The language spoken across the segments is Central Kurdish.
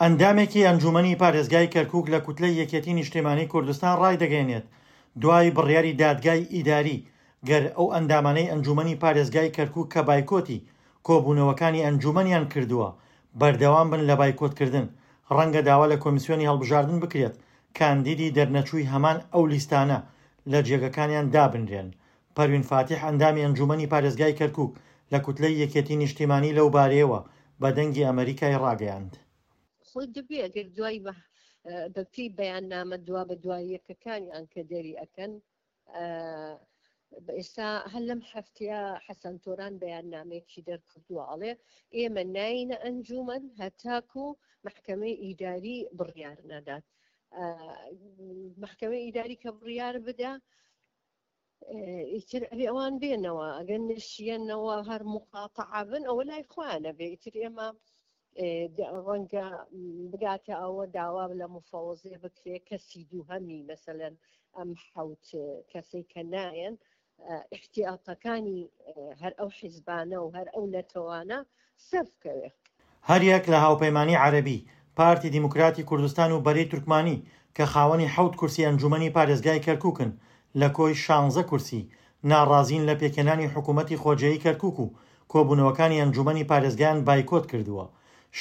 ئەندامێکی ئەنجوومەنی پارێزگای کەرکووک لە کوتلەی یەکێتی نیشتیمانی کوردستان ڕایدەگەیەنێت، دوای بڕیاری دادگای ئیداری، گەر ئەو ئەندامانەی ئەنجوومەنی پارێزگای کەرکووک کە بایکۆتی کۆبوونەوەکانی ئەنجوومەنیان کردووە بەردەوام بن لە بایکۆتکردن، ڕەنگە داوا لە کۆمیسیۆنی هەڵبژاردن بکرێت کاندیدی دەرنەچووی هەمان ئەو لیستانە لە جێگەکانیان دابنرێن. پەروین فاتیح ئەندامی ئەنجوومەنی پارێزگای کەرکووک لە کوتلەی یەکێتی نیشتیمانی لەو بارەیەوە بە دەنگی ئەمەریکای ڕاگەیاند. خۆی دەبێ ئەگەر دوای بە پێی بەیاننامە دوا بە دوای یەکەکانیان کە دەری ئەکەن ئێستا هەر لەم هەفتەیە حەسەن تۆران بەیاننامەیەکی دەرکردووە ئەڵێ ئێمە ناینە ئەنجومەن هەتاکو محکمەی ئیداری بڕیار نەدات محکمەی ئیداری کە بڕیار بدا ئیتر ئەبێ ئەوان بێنەوە ئەگەر نشیەنەوە هەر مقاتەعە بن ئەوە لای خۆیانە بێ ئیتر ئێمە ڕەنگە بگاتە ئەوە داوا لە مفەوەزێ بکرێ کەسی دووهەمی مەسەلەن ئەم حوت کەسەی کە نایەن احتیاطەکانی هەر ئەو حیزبانە و هەر ئەو نەتەوانە سەر بکەوێ. هەریەک لە هاوپەیمانیی عەرەبی، پارتی دیموکراتی کوردستان و بەرەی تورکمانی کە خاوەنی حەوت کورسی ئەنجوومەنی پارێزگای کەرکووکن لە کۆی شانزە کورسی، ناڕازین لە پێکهێنانی حکوومەتی خۆجێیی کەرکووک و کۆبوونەوەکانی ئەنجوومەنی پارێزگایان بایکۆت کردووە.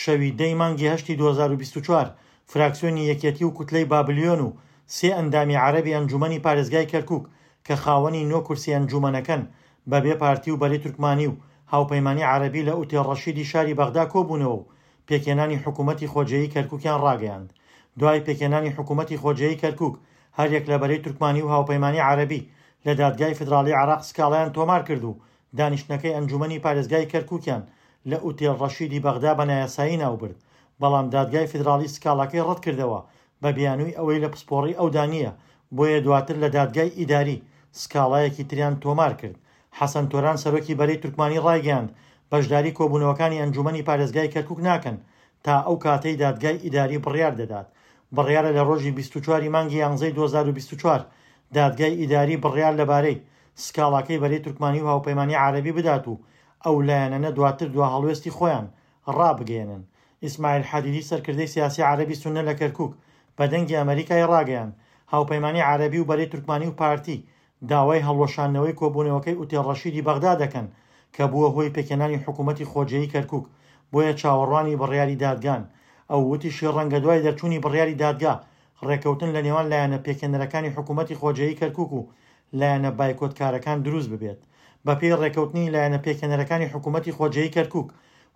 شەوی دە ی مانگی هەشتی 2024 فراکسیۆنی یەکێتی و کوتلەی بابلیۆن و سێ ئەندامی عەرەبی ئەنجوومەنی پارێزگای کەرکووک کە خاوەنی نۆ کورسی ئەنجوومەنەکەن بەبێ پارتی و بەرەی تورکمانی و هاوپەیمانی عەرەبی لە ئوتێل ڕەشیدی شاری بەغدا کۆبوونەوە و پێکهێنانی حکوومەتی خۆجێیی کەرکووکیان ڕاگەیاند. دوای پێکهێنانی حکوومەتی خۆجێیی کەرکووک، هەریەک لە بەرەی تورکمانی و هاوپەیمانی عەرەبی لە دادگای فیدراڵیی عێراق سکاڵایان تۆمار کرد و دانیشتنەکەی ئەنجوومەنی پارێزگای کەرکووکیان لە ئوتێل ڕەشیدی بەغدا بە نایاسایی ناوبرد، بەڵام دادگای فیدراڵی سکاڵاکەی ڕەتکردەوە بە بیانووی ئەوەی لە پسپۆڕی ئەودا نییە، بۆیە دواتر لە دادگای ئیداری سکاڵایەکی تریان تۆمار کرد. حەسەن تۆران سەرۆکی بەرەی تورکمانی ڕایگەیاند، بەشداری کۆبوونەوەکانی ئەنجوومەنی پارێزگای کەرکوک ناکەن تا ئەو کاتەی دادگای ئیداری بڕیار دەدات. بڕیارە لە ڕۆژی 24 ی مانگی یانزەی 2024 دادگای ئیداری بڕیار لەبارەی سکاڵاکەی بەرەی تورکمانی و هاوپەیمانی عەرەبی بدات و ئەو لایەنەنە دواتر دواهەڵوێستی خۆیان ڕابگەیەنن. ئیسماعیل حەدیدی سەرکردەی سیاسی عەرەبی سوننە لە کەرکوک بە دەنگی ئەمەریکای ڕاگەیاند، هاوپەیمانی عەرەبی و بەرەی تورکمانی و پارتی داوای هەڵوەشاندنەوەی کۆبوونەوەکەی ئوتێل ڕەشیدی بەغدا دەکەن کە بووە هۆی پێکهێنانی حکوومەتی خۆجێیی کەرکوک، بۆیە چاوەڕوانی بڕیاری دادگان. ئەو وتیشی ڕەنگە دوای دەرچوونی بڕیاری دادگا ڕێککەوتن لە نێوان لایەنە پێکهێنەرەکانی حکوومەتی خۆجێیی کەرکوک و لایەنە بایکۆتکارەکان دروست ببێت. بەپێی ڕێککەوتنی لایەنە پێکهێنەرەکانی حکوومەتی خۆجێیی کەرکوک،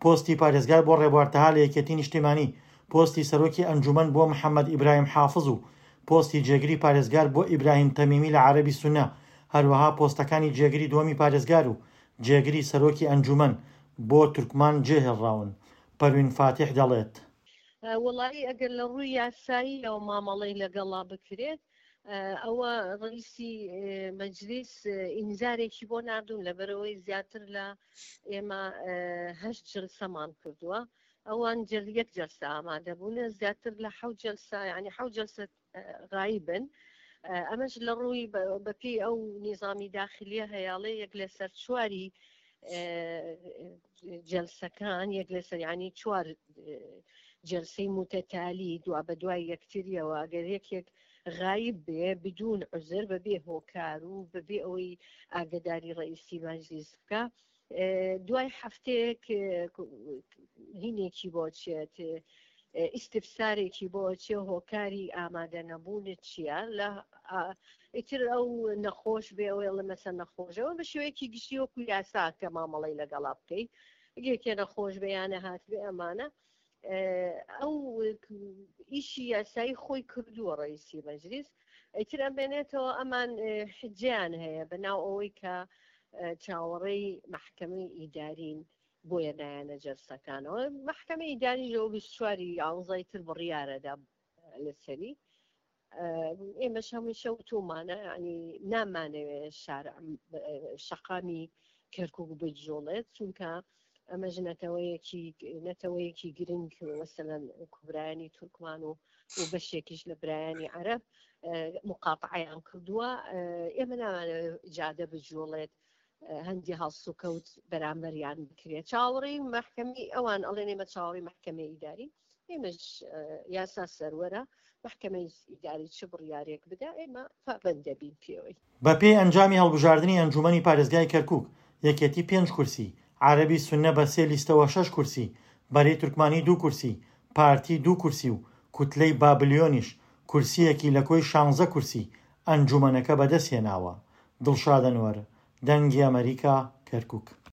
پۆستی پارێزگار بۆ ڕێبوار تەها لە یەکێتی نیشتیمانی، پۆستی سەرۆکی ئەنجوومەن بۆ محەمەد ئیبراهیم حافز و پۆستی جێگری پارێزگار بۆ ئیبراهیم تەمیمی لە عەرەبی سوننە، هەروەها پۆستەکانی جێگری دووەمی پارێزگار و جێگری سەرۆکی ئەنجوومەن بۆ تورکمان جێهێڵراون. پەروین فاتیح دەڵێت. وەڵایی ئەگەر لە ڕووی یاساییەوە مامەڵەی لەگەڵا بکرێت ئەوە ڕئیسی مەجلیس ئینزارێکی بۆ ناردوون لەبەرەوەی زیاتر لە ئێمە هەشت جلسەمان کردووە ئەوان جل یەک جلسە ئامادە بوون زیاتر لە حەوت جلسە یعنی حەوت جلسە غایبن ئەمەش لە ڕووی بەپێی ئەو نیزامی داخلیە هەیاڵێ یەک لەسەر چواری جلسەکان یەک لەسەر ینی چوار جلسەی متەتالی دوا بە دوای یەکتریەوە ئەگەر یەکێک غایب بێ بدون عزر بەبێ هۆکار و بەبێ ئەوەی ئاگداری ڕئیسی مەجلیس بکە دوای هەفتەیەک هینێکی بۆ چێت ئیستفسارێکی بۆ چێ هۆکاری ئامادە نەبوونت چییە لە ئیتر ئەو نەخۆش بێ ئەوەی ئەڵێ مەسە نەخۆشەوە بە شێوەیەکی گشتی وەکو یاسا کە مامەڵەی لەگەڵا بکەی یەکێ نەخۆش بێ یان نەهاتبێ ئەمانە ئەو ئیشی یاسایی خۆی کردووە ڕئیسی مەجلیس ئیتر ئەمێنێتەوە ئەمان حجیان هەیە بە ناو ئەوەی کە چاوەڕێی محکمەی ئیدارین بۆیە نایەنە جەلسەکانەوە مەحکەمەی ئیداریش لەوە 24 یانزەی تر بڕیارەدا لەسەری ئێمەش هەمیشە وتومانە ینی نامانەوێ شار شەقامی کەرکک بجوڵێت چونکە ئەمەش نەتەوەیەکی نەتەوەیەکی گرنگ مەسەلەن کوبرایانی تورکمان و و بەشێکیش لە برایانی عەرەب مقاتعیان کردووە ئێمە نامانەوێت جادە بجوڵێت هەندی هەڵسوکەوت بەرامبەریان بکرێت چاوەڕێی مەحکەمەی ئەوان ئەڵێن ئێمە چاوەڕێی مەحکەمەی ئیداری. ئێمەش یاسا سەروەرە، مەحکەمەی ئیداری چ بڕیارێک بدا ئێمە پابەند دەبین پێوەی. بەپێی ئەنجامی هەڵبژاردنی ئەنجوومەنی پارێزگای کەرکووک، یەکێتی پێنج کورسی، عەرەبی سوننە بە سێ لیستەوە شەش کورسی، بەرەی تورکمانی دوو کورسی، پارتی دوو کورسی و کوتلەی بابلیۆنیش کورسییەکی لە کۆی شانزە کورسی ئەنجوومەنەکە بەدەستهێناوە. دڵشاد ئەنوەر، دەنگی ئەمەریکا، کەرکووک.